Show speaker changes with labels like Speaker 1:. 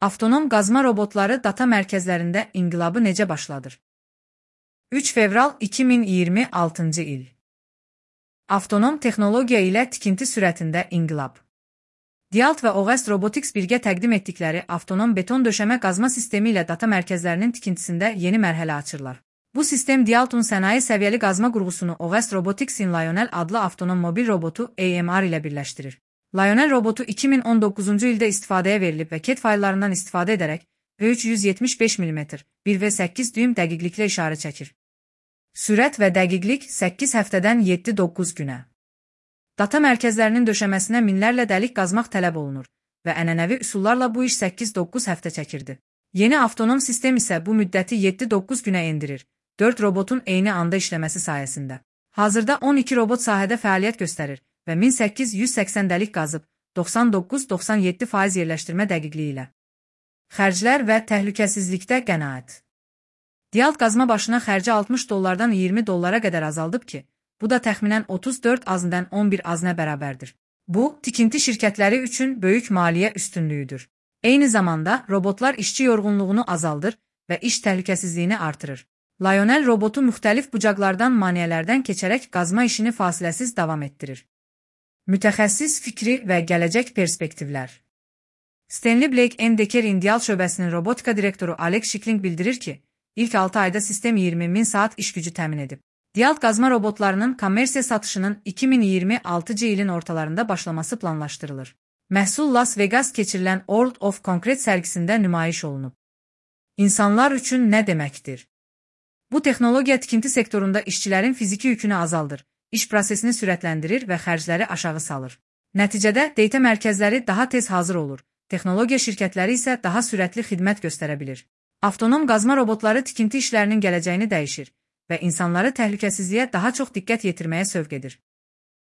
Speaker 1: Avtonom qazma robotları data mərkəzlərində inqilabı necə başladır? 3 fevral 2026-cı il. Avtonom texnologiya ilə tikinti sürətində inqilab. Dialt və Oğest Robotics birgə təqdim etdikləri avtonom beton döşəmə qazma sistemi ilə data mərkəzlərinin tikintisində yeni mərhələ açırlar. Bu sistem Dialt'un sənaye səviyyəli qazma qurğusunu Oğest Robotics'in Lionel adlı avtonom mobil robotu AMR ilə birləşdirir. Lionel robotu 2019-cu ildə istifadəyə verilib və CAD fayllarından istifadə edərək 375 mm 1/8 düym dəqiqliklə işarə çəkir. Sürət və dəqiqlik 8 həftədən 7-9 günə. Data mərkəzlərinin döşəməsinə minlərlə dəlik qazmaq tələb olunur və ənənəvi üsullarla bu iş 8-9 həftə çəkirdi. Yeni avtonom sistem isə bu müddəti 7-9 günə endirir, 4 robotun eyni anda işləməsi sayəsində. Hazırda 12 robot sahədə fəaliyyət göstərir və 1880 dəlik qazıb 99-97% yerləşdirmə dəqiqliyi ilə. Xərclər və təhlükəsizlikdə qənaət. Dialt qazma başına xərci $60-dan $20 qədər azaldıb ki, bu da təxminən 34 azından 11 azına bərabərdir. Bu, tikinti şirkətləri üçün böyük maliyyə üstünlüyüdür. Eyni zamanda robotlar işçi yorğunluğunu azaldır və iş təhlükəsizliyini artırır. Lionel robotu müxtəlif bucaqlardan maneələrdən keçərək qazma işini fasiləsiz davam etdirir. Mütəxəssis fikri və gələcək perspektivlər. Stanley Blake & Decker Dialt şöbəsinin robotika direktoru Alex Shikling bildirir ki, ilk 6 ayda sistem 20.000 saat iş gücü təmin edib. Dialt qazma robotlarının kommersiya satışının 2026-cı ilin ortalarında başlaması planlaşdırılır. Məhsul Las Vegas keçirilən World of Concrete sərgisində nümayiş olunub. İnsanlar üçün nə deməkdir? Bu texnologiya tikinti sektorunda işçilərin fiziki yükünü azaldır, iş prosesini sürətləndirir və xərcləri aşağı salır. Nəticədə data mərkəzləri daha tez hazır olur, texnologiya şirkətləri isə daha sürətli xidmət göstərə bilir. Avtonom qazma robotları tikinti işlərinin gələcəyini dəyişir və insanları təhlükəsizliyə daha çox diqqət yetirməyə sövq edir.